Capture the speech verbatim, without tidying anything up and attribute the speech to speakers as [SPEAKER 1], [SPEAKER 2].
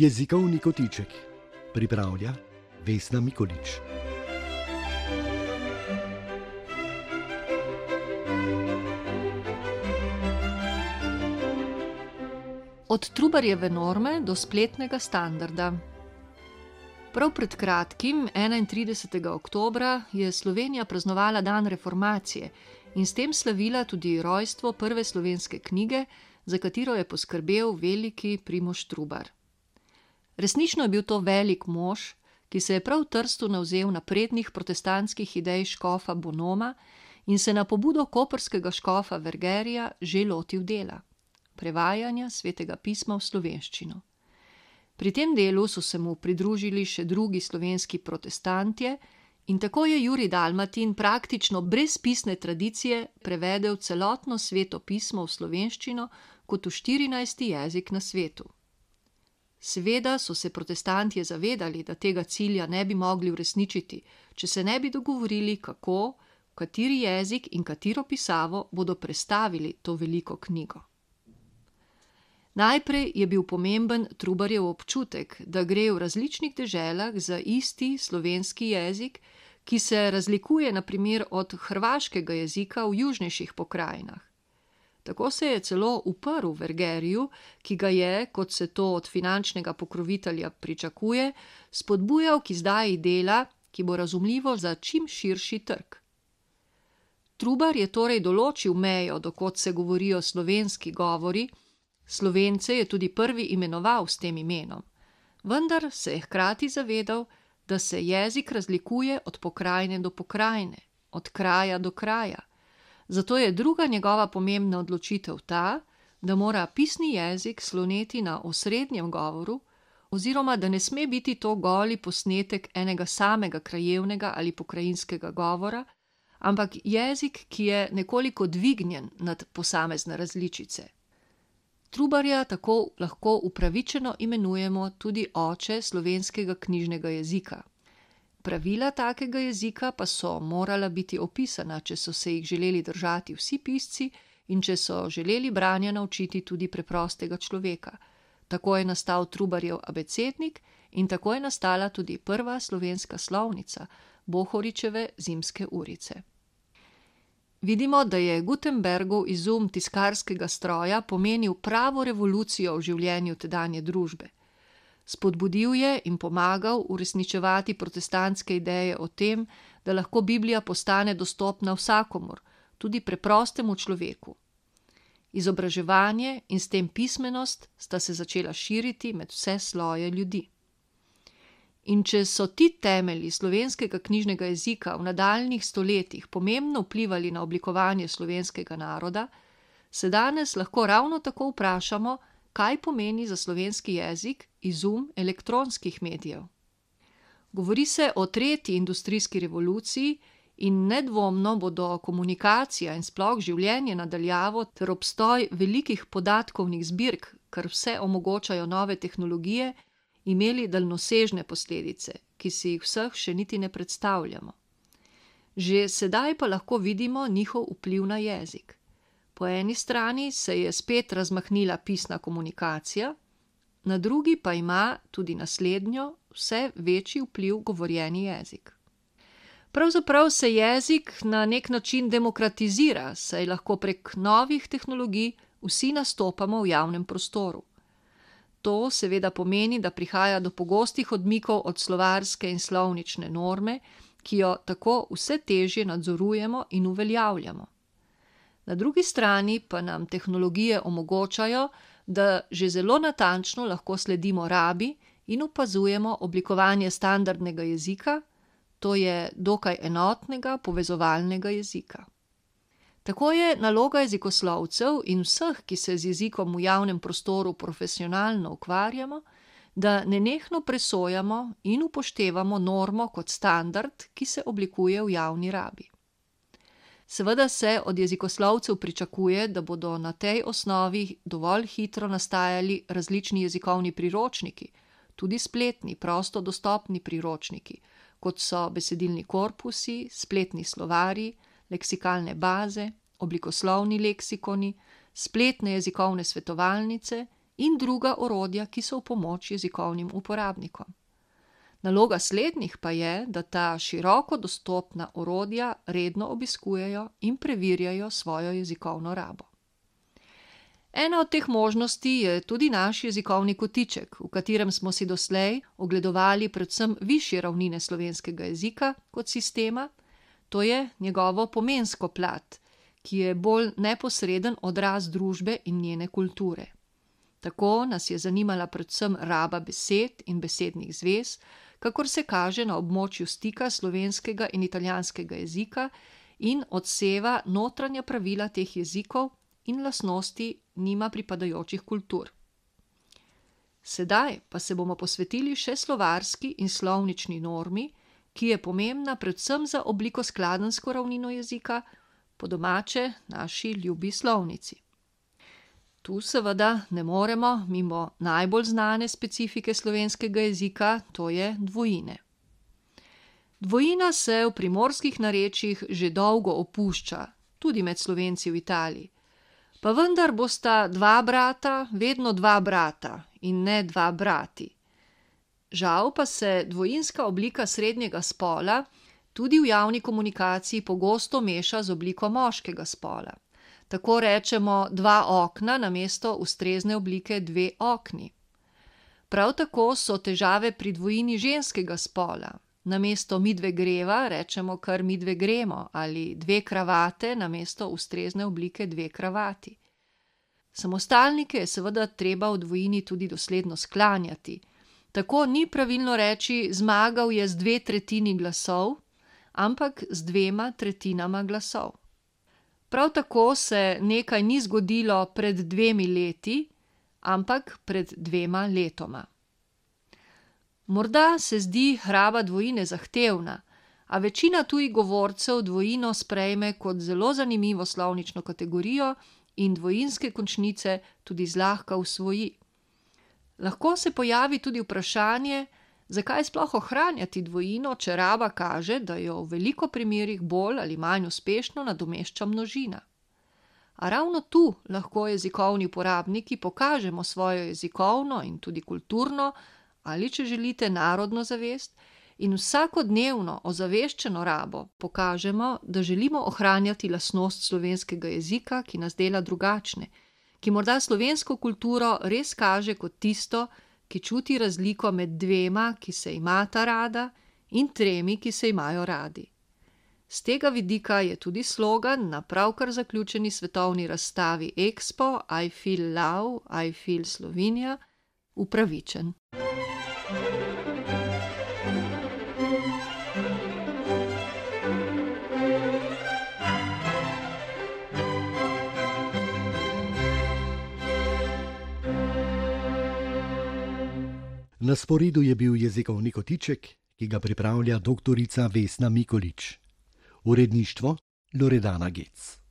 [SPEAKER 1] Jezikovni kotiček pripravlja Vesna Mikolič.
[SPEAKER 2] Od Trubarjeve norme do spletnega standarda. Prav pred kratkim, enaintridesetega oktobra, je Slovenija praznovala dan reformacije in s tem slavila tudi rojstvo prve slovenske knjige, za katero je poskrbel veliki Primož Trubar. Resnično je bil to velik mož, ki se je prav v Trstu navzel naprednih protestantskih idej škofa Bonoma in se na pobudo koprskega škofa Vergerija že lotil dela, prevajanja svetega pisma v slovenščino. Pri tem delu so se mu pridružili še drugi slovenski protestantje in tako je Jurij Dalmatin praktično brez pisne tradicije prevedel celotno sveto pismo v slovenščino kot v štirinajsti jezik na svetu. Seveda so se protestantje zavedali, da tega cilja ne bi mogli uresničiti, če se ne bi dogovorili, kako, v kateri jezik in katero pisavo bodo prestavili to veliko knjigo. Najprej je bil pomemben Trubarjev občutek, da gre v različnih deželah za isti slovenski jezik, ki se razlikuje na primer od hrvaškega jezika v južnejših pokrajinah. Tako se je celo uprl Vergeriju, ki ga je, kot se to od finančnega pokrovitelja pričakuje, spodbujal k izdaji dela, ki bo razumljivo za čim širši trg. Trubar je torej določil mejo, do kod se govorijo slovenski govori, Slovence je tudi prvi imenoval s tem imenom, vendar se je hkrati zavedal, da se jezik razlikuje od pokrajine do pokrajine, od kraja do kraja. Zato je druga njegova pomembna odločitev ta, da mora pisni jezik sloneti na osrednjem govoru, oziroma da ne sme biti to goli posnetek enega samega krajevnega ali pokrajinskega govora, ampak jezik, ki je nekoliko dvignjen nad posamezne različice. Trubarja tako lahko upravičeno imenujemo tudi oče slovenskega knjižnega jezika. Pravila takega jezika pa so morala biti opisana, če so se jih želeli držati vsi pisci in če so želeli branja naučiti tudi preprostega človeka. Tako je nastal Trubarjev abecednik in tako je nastala tudi prva slovenska slovnica, Bohoričeve zimske urice. Vidimo, da je Gutenbergov izum tiskarskega stroja pomenil pravo revolucijo v življenju tedanje družbe. Spodbudil je in pomagal uresničevati protestantske ideje o tem, da lahko Biblija postane dostopna vsakomur, tudi preprostemu človeku. Izobraževanje in s tem pismenost sta se začela širiti med vse sloje ljudi. In če so ti temelji slovenskega knjižnega jezika v nadaljnjih stoletjih pomembno vplivali na oblikovanje slovenskega naroda, se danes lahko ravno tako vprašamo, kaj pomeni za slovenski jezik izum elektronskih medijev. Govori se o tretji industrijski revoluciji in nedvomno bodo komunikacija in sploh življenje na daljavo ter obstoj velikih podatkovnih zbirk, kar vse omogočajo nove tehnologije, imeli daljnosežne posledice, ki si jih vseh še niti ne predstavljamo. Že sedaj pa lahko vidimo njihov vpliv na jezik. Po eni strani se je spet razmahnila pisna komunikacija, na drugi pa ima tudi naslednjo vse večji vpliv govorjeni jezik. Pravzaprav se jezik na nek način demokratizira, saj lahko prek novih tehnologij vsi nastopamo v javnem prostoru. To seveda pomeni, da prihaja do pogostih odmikov od slovarske in slovnične norme, ki jo tako vse težje nadzorujemo in uveljavljamo. Na drugi strani pa nam tehnologije omogočajo, da že zelo natančno lahko sledimo rabi in opazujemo oblikovanje standardnega jezika, to je dokaj enotnega povezovalnega jezika. Tako je naloga jezikoslovcev in vseh, ki se z jezikom v javnem prostoru profesionalno ukvarjamo, da nenehno presojamo in upoštevamo normo kot standard, ki se oblikuje v javni rabi. Seveda se od jezikoslovcev pričakuje, da bodo na tej osnovi dovolj hitro nastajali različni jezikovni priročniki, tudi spletni, prosto dostopni priročniki, kot so besedilni korpusi, spletni slovarji, leksikalne baze, oblikoslovni leksikoni, spletne jezikovne svetovalnice in druga orodja, ki so v pomoč jezikovnim uporabnikom. Naloga slednjih pa je, da ta široko dostopna orodja redno obiskujejo in preverjajo svojo jezikovno rabo. Ena od teh možnosti je tudi naš jezikovni kotiček, v katerem smo si doslej ogledovali predvsem višje ravnine slovenskega jezika kot sistema, to je njegovo pomensko plat, ki je bolj neposreden odraz družbe in njene kulture. Tako nas je zanimala predvsem raba besed in besednih zvez, kakor se kaže na območju stika slovenskega in italijanskega jezika in odseva notranja pravila teh jezikov in lastnosti njima pripadajočih kultur. Sedaj pa se bomo posvetili še slovarski in slovnični normi, ki je pomembna predvsem za obliko skladensko ravnino jezika, po domače naši ljubi slovnici. Tu seveda ne moremo mimo najbolj znane specifike slovenskega jezika, to je dvojine. Dvojina se v primorskih narečjih že dolgo opušča, tudi med Slovenci v Italiji. Pa vendar bosta dva brata vedno dva brata in ne dva brati. Žal pa se dvojinska oblika srednjega spola tudi v javni komunikaciji pogosto meša z obliko moškega spola. Tako rečemo dva okna namesto ustrezne oblike dve okni. Prav tako so težave pri dvojini ženskega spola. Namesto midve greva rečemo kar midve gremo ali dve kravate namesto ustrezne oblike dve kravati. Samostalnike je seveda treba v dvojini tudi dosledno sklanjati. Tako ni pravilno reči zmagal je z dve tretjini glasov, ampak z dvema tretjinama glasov. Prav tako se nekaj ni zgodilo pred dvemi leti, ampak pred dvema letoma. Morda se zdi raba dvojine zahtevna, a večina tujih govorcev dvojino sprejme kot zelo zanimivo slovnično kategorijo in dvojinske končnice tudi zlahka usvoji. Lahko se pojavi tudi vprašanje, zakaj sploh ohranjati dvojino, če raba kaže, da jo v veliko primerih bolj ali manj uspešno nadomešča množina. A ravno tu lahko jezikovni uporabniki pokažemo svojo jezikovno in tudi kulturno, ali če želite narodno zavest, in vsakodnevno ozaveščeno rabo pokažemo, da želimo ohranjati lastnost slovenskega jezika, ki nas dela drugačne, ki morda slovensko kulturo res kaže kot tisto, ki čuti razliko med dvema, ki se imata rada, in tremi, ki se imajo radi. Z tega vidika je tudi slogan na pravkar zaključeni svetovni razstavi Expo I feel love, I feel Slovenia upravičen.
[SPEAKER 1] Na sporedu je bil jezikovni kotiček, ki ga pripravlja doktorica Vesna Mikolič. Uredništvo Loredana Gec.